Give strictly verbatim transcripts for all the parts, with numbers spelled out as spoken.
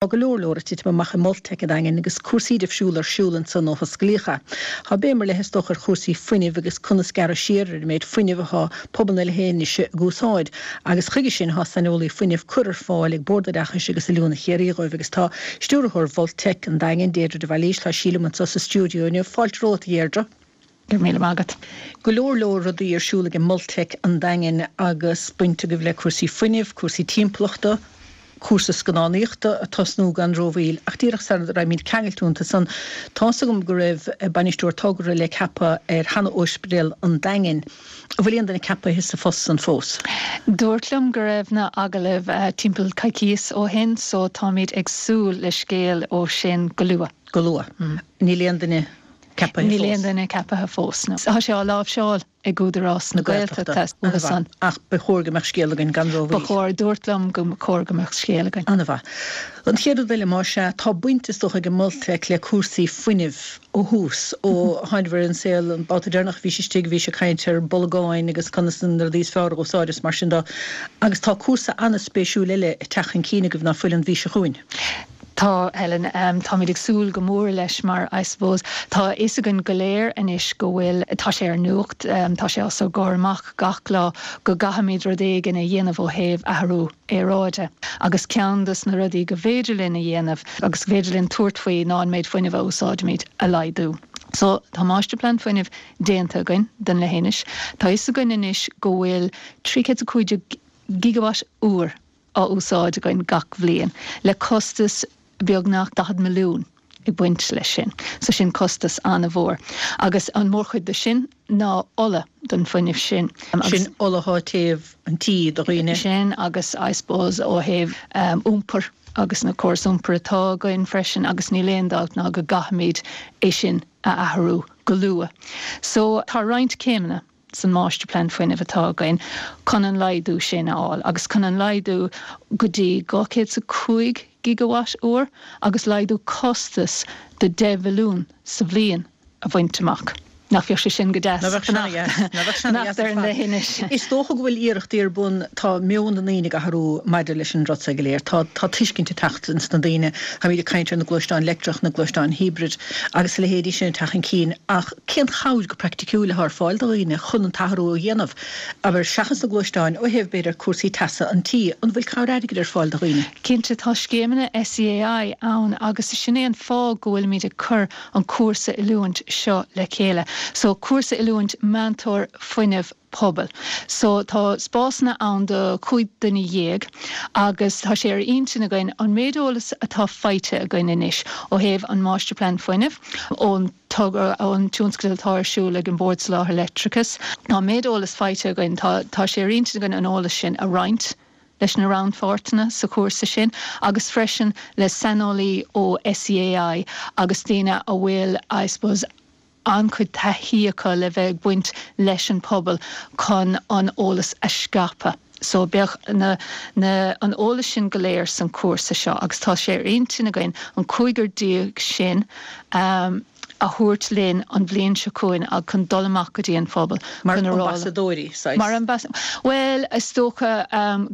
Tá go leor leor ag titim amach i Multec an Daingin agus cúrsaí difriúla ar siúl ansan ó hosclaíodh é. Tá béim ar leith is dócha ar chúrsaí fuinnimh agus conas gearradh siar ar an méid fuinnimh atá pobal na Leithinise ag úsáid agus chuige sin tá saineolaí fuinnimh curtha ar fáil ag Bord Oideachais agus Oiliúna Chiarraí dhóibh agus tá stiúrthóir Mhultec an Daingin, Deirdre de Bhailís, tá sí liom anseo sa stiúideo inniu. Fáilte romhat, a Dheirdre. Go raibh míle maith agat. Go leor leor rudaí ar siúl ag an Multec an Daingin agus baint agaibh le cúrsaí fuinnimh, cúrsaí timpeallachta, cúrsa scannánaíochta ag tosnú gan rómhoill ach díreach sara raibhimid ceangailte iontu san, tá's agam go raibh bainisteoir togra le ceapadh ar sheana-Ospidéal an Daingin. An bhfuil aon duine ceapaithe sa phost san fós? Dúirt liom go raibh na agallaimh timpeall coicíos ó shin so táimid ag súil le scéal ó sin go luath. Go luath. Níl aon duine ceapaithe fós? Níl aon duine ceapaithe fós, no. Tá sé á láimhseáil ag Údarás na Gaeltachta. An-mhaith. Ach ba chóir go mbeadh scéal againn gan rómhoill. Ba chóir. Dúirt liom go chóir go mbeadh scéal againn. An-mhaith. An chéad rud eile, más ea, tá baint is dócha ag an Multec le cúrsaí fuinnimh ó thús, ó tháinabhair ar an saol, an babhta deireanach a bhís istigh bhís ag caint ar bholgáin agus conas na rudaí is fearr a úsáid is mar sin de. Agus tá cúrsa an-spéisiúil eile ag teacht chun cinn agaibh ná fuil an mhí seo chugainn. Tá, Helen. Táimid ag súil go mór leis mar I suppose tá a fhios againn go léir anois go bhfuil, tá sé ar nuacht, tá sé os ár gcomhair amach gach lá go gcaithfimid rud éigin a dhéanamh ó thaobh athrú aeráide agus ceann dos na rudaí go bhféidir linn a dhéanamh agus go bhféidir linn tabhairt faoi ná an méid fuinnimh a úsáidimid a laghdú. So tá máistirphlean fuinnimh déanta againn don leithinis. Tá a fhios againn anois go bhfuil trí chéad is a cúig déag gigawatt uair á úsáid againn gach bhliain, le costas beagnach daichead milliún ag baint leis sin. So sin costas an-mhór. Agus an mhórchuid de sin ná ola don fuinneamh sin. Sin ola atá ag téamh an tí do dhaoine. Sin agus I suppose ó thaobh iompair agus na córais iompair atá againn freisin agus níl aon dabht ná go gcaithfimid é sin a athrú go luath. So tá roinnt céimeanna san máistirphlean fuinnimh atá againn chun an laghdú sin a fháil agus chun an laghdú go dtí dhá chéad is a cúig gigawatt uair agus laghdú costas de deich mhilliún sa bhliain a bhaint amach. Nach bheadh sé sin go deas fanacht ar an leithinis? Is dócha go bhfuil iarrachtaí ar bun, tá meon na ndaoine ag athrú maidir leis an rud seo go léir. Tá tá tuiscint ag teacht ins na daoine. Táimid ag caint ar na gluaisteáin leictreach, na gluaisteáin hibrid agus a leithéidí sin ag teacht chun cinn ach cén chabhair go praiticiúil atá ar fáil do dhaoine chun an t-athrú a dhéanamh, abair, seachas na gluaisteáin, ó thaobh, b'fhéidir, cúrsaí teasa an tí? An bhfuil cabhair airgid ar fáil do dhaoine? Cinnte, tá scéimeanna SEAI ann agus sin é an fáth go bhfuilimid ag cur an cúrsa oiliúint seo le chéile. So, cúrsa oiliúint meantóir fuinnimh pobail. So, tá spásanna ann do chúig duine dhéag agus tá sé ar intinn againn an méid eolas atá faighte againn anois ó thaobh an Máistirphlean Fuinnimh, ón togra, ón tionscadal atá ar siúl ag an Bord Soláthair Leictreachais, tá an méid eolas faighte againn, tá, tá sé ar intinn againn an eolas sin a roinnt leis na rannpháirtithe sa chúrsa sin agus freisin le saineolaí ó SEAI agus daoine a bhfuil, I suppose, an-chuid taithí acu le bheith ag baint leis an pobal chun an eolas a scaipeadh. So beidh na, na, an eolas sin go léir san cúrsa seo agus tá sé ar intinn againn an cúigear déag sin a thabhairt linn an bhliain seo chugainn ag chun dul amach go dtí an phobal Mar ambasadóirí, saghas? Mar ambas, bhuel, is dócha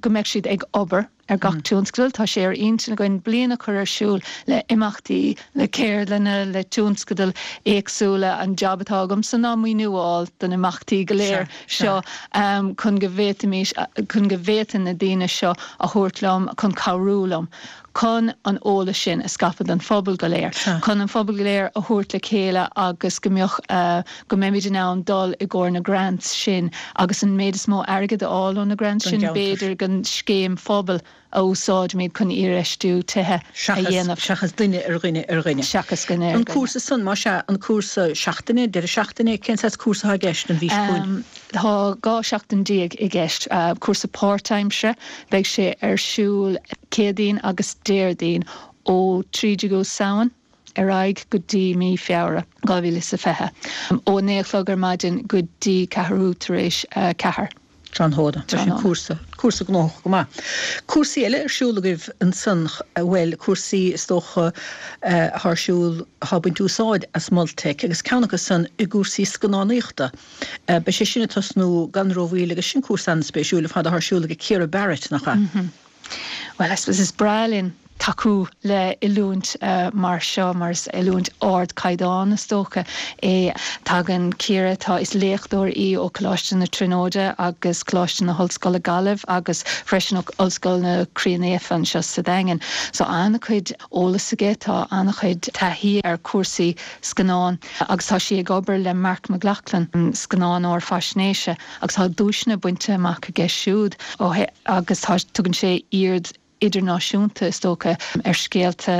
go mbeidh siad ag obair ar gach tionscadal. Tá sé ar intinn againn bliain a chur ar siúl le imeachtaí, le ceardlanna, le tionscadail éagsúla. An jab atá agamsa ná maoiniú a fháil do na imeachtaí go léir seo chun go bhféadfaimis, chun go bhféadfainn na daoine seo a thabhairt liom chun cabhrú liom chun an eolas sin a scaipeadh don phobal go léir, chun an phobal go léir a thabhairt le chéile agus go mbeadh, go mbeimid in ann dul i gcomhair na grants sin agus an méid is mó airgid a fháil ó na grants sin, b'fhéidir, don scéim phobail a úsáidimid chun iarfheistiú tithe a dhéanamh. Seachas duine ar dhuine ar dhuine. Seachas duine ar dhuine. An cúrsa san, más ea, an cúrsa seachtaine, deireadh seachtaine, cén saghas cúrsa atá i gceist an mhí seo chugainn? Tá dhá sheachtain déag i gceist. Cúrsa páirtaimseartha, beidh sé ar siúl Céadaoin agus Déardaoin ó trí déagú Samhain ar aghaidh go dtí mí Feabhra dhá mhíle is a fiche, ó a naoi a chlog ar maidin go dtí ceathrú tar éis a ceathair. Tráthnóna. Tá sin cúrsa, cúrsa gnóthach go maith. Cúrsaí eile ar siúl agaibh ansan, bhuel, cúrsaí is dócha atá ar siúl, atá ag baint úsáid as Multec agus ceann acu san i gcúrsaí scannánaíochta. Beidh sé sin ag tosnú gan rómhoill agus sin cúrsa an-spéisiúil ar fad atá ar siúl ag Ciara Barrett, nach ea? Bhuel, I suppose is breá linn tacú le oiliúint uh, mar seo mar is oiliúint ardchaighdeán is dócha é tagann Ciara tá is léachtóir í ó Choláiste na Tríonóide agus Coláiste na hOllscoile Gaillimh agus freisin Ollscoil na Croí Naofa anseo sa Daingean. So an-chuid eolas aici tá an-chuid taithí ar cúrsaí scannán agus tá sí ag obair le Mark McLaughlin scannánóir faisnéise agus tá duaiseanna bainte amach aige siúd ó agus tá tugann sé aird idirnáisiúnta is dócha ar scéalta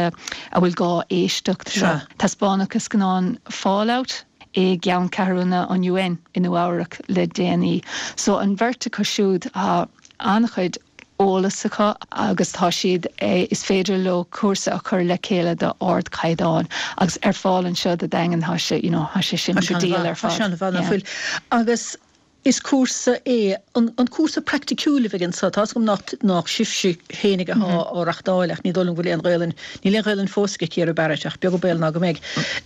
a bhfuil gá éisteacht leo. Taispeánadh scannán Fallout i gceanncheathrú an UN i Nua-Eabhrac le déanaí. So an bheirt acu siúd tá an-chuid eolas acu agus tá siad é is féidir leo cúrsa a chur le chéile de ardchaighdeán agus ar fáil anseo sa Daingean tá sé you know, sé sin go diail ar fáil. Agus is cúrsa é an, an cúrsa praiticiúil a bheidh anso tá gom nach nach sibhse féinig atá mm -hmm. á reáchtáil ach ní dóigh liom go bhfuil aon Ghaelainn níl aon Ghaelainn fós ag Ciara Barrett ach beag baol ná go mbeidh.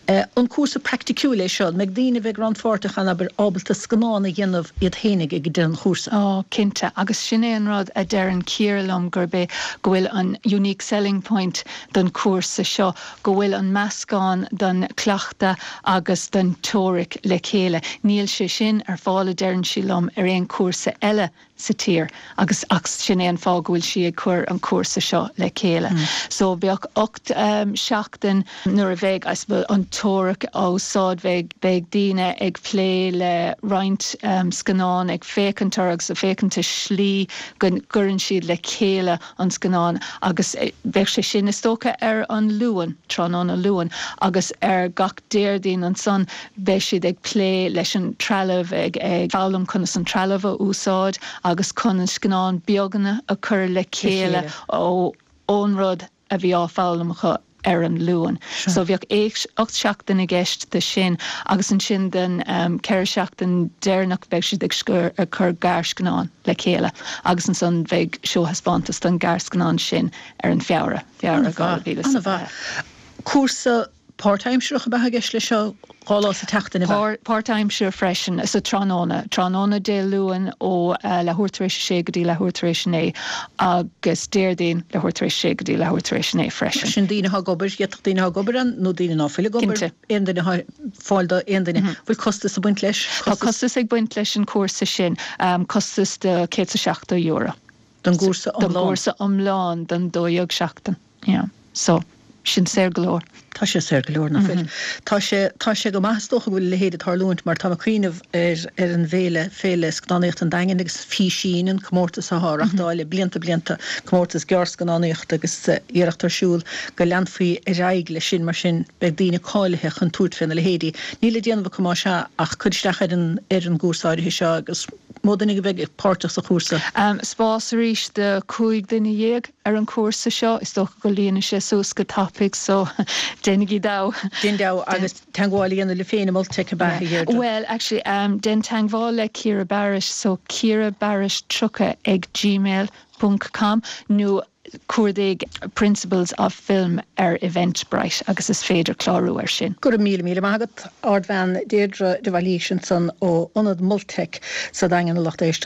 Uh, an cúrsa praiticiúil é seo, mbeidh daoine bheidh rannpháirteach ann abair ábalta scannán a dhéanamh iad féinig ag deireadh an chúrsa. Ó cinnte agus sin é an rud a deireann Ciara liom gurb é go bhfuil an unique selling point don cúrsa seo go bhfuil an meascán den cleachtadh agus den teoiric le chéile. Níl sé sin ar fáil a deireann sí liom ar aon cúrsa eile sa tír agus ach sin é an fáth go bhfuil sí ag cur an cúrsa seo le chéile. Mm. So bheadh ocht um, seachtain nuair a bheidh as an teoiric á úsáid bheidh beidh daoine ag plé le roinnt um, scannán ag féachaint agus a féachaint ar slí go gcuireann siad le chéile an scannán agus eh, bheadh sé sin is dócha ar an Luan tráthnóna Luan agus ar gach Déardaoin ansan beidh siad ag plé leis an trealamh ag ag foghlaim conas an trealamh a úsáid agus chun an scannán beaganna a chur le chéile ó ón rud a bhí á foghlaim acu ar an Luan. So bheadh ocht seachtain i gceist de sin agus ansin den um, ceithre seachtain deireanach beidh siad ag scur ag cur gearrscannán le chéile agus ansan bheidh seóthaispeántas den gearrscannán sin ar an Feabhra Feabhra Cúrsa páirtaimseartha a bheadh i gceist leis seo dhá lá sa tseachtain Páirtaimseartha freisin sa tráthnóna tráthnóna Dé Luain ó uh, leathuair tar éis sé go dtí leathuair tar éis naoi agus Déardaoin leathuair tar éis sé go dtí leathuair tar éis naoi freisin. Sin daoine ag obair d'fhéadfadh daoine ag obair an nó daoine ná fuil ag obair aon duine fáil do aon duine bhfuil costas ag baint leis Tá costas ag baint leis an cúrsa sin um, costas de céad seachtó euro. Don gcúrsa gcúrsa iomlán don dó dhéag seachtain. Yeah. So sin saor go leor. Tá sé saor go leor nach bhfuil. Tá sé tá sé go maith dócha bhfuil leithéid ag tarlúint mar tá ag cuimhneamh ar ar an bhféile féile scannánaíocht an Daingin agus Físín an comórtas atá á reáchtáil le blianta blianta comórtas gearrscannánaíocht agus iarracht ar siúl go leanfaí ar aghaidh leis sin mar sin beidh daoine cáilithe chun tabhairt faoina leithéidí. Níl le déanamh acu más ea ach cur isteach ar an ar an gcúrsa áirithe seo agus mó duine a bheidh páirteach sa chúrsa. Um, spás arís de cúig duine dhéag ar an cúrsa seo is dócha go líonfaidh sé suas go tapaidh so déanaigí deabh. Déan deabh agus teagmháil a dhéanamh le féin Multec ab ea Well actually um, déan teagmháil le Ciara Barrett so Ciara Barrett tríocha ag gmail ponc com nó cuardaigh Principles of Film ar Eventbrite agus is féidir clárú ar sin. Go raibh míle míle maith agat Ardbhean Deirdre de Bhailís ansan ó Ionad Multec sa Daingean a lucht éisteachta.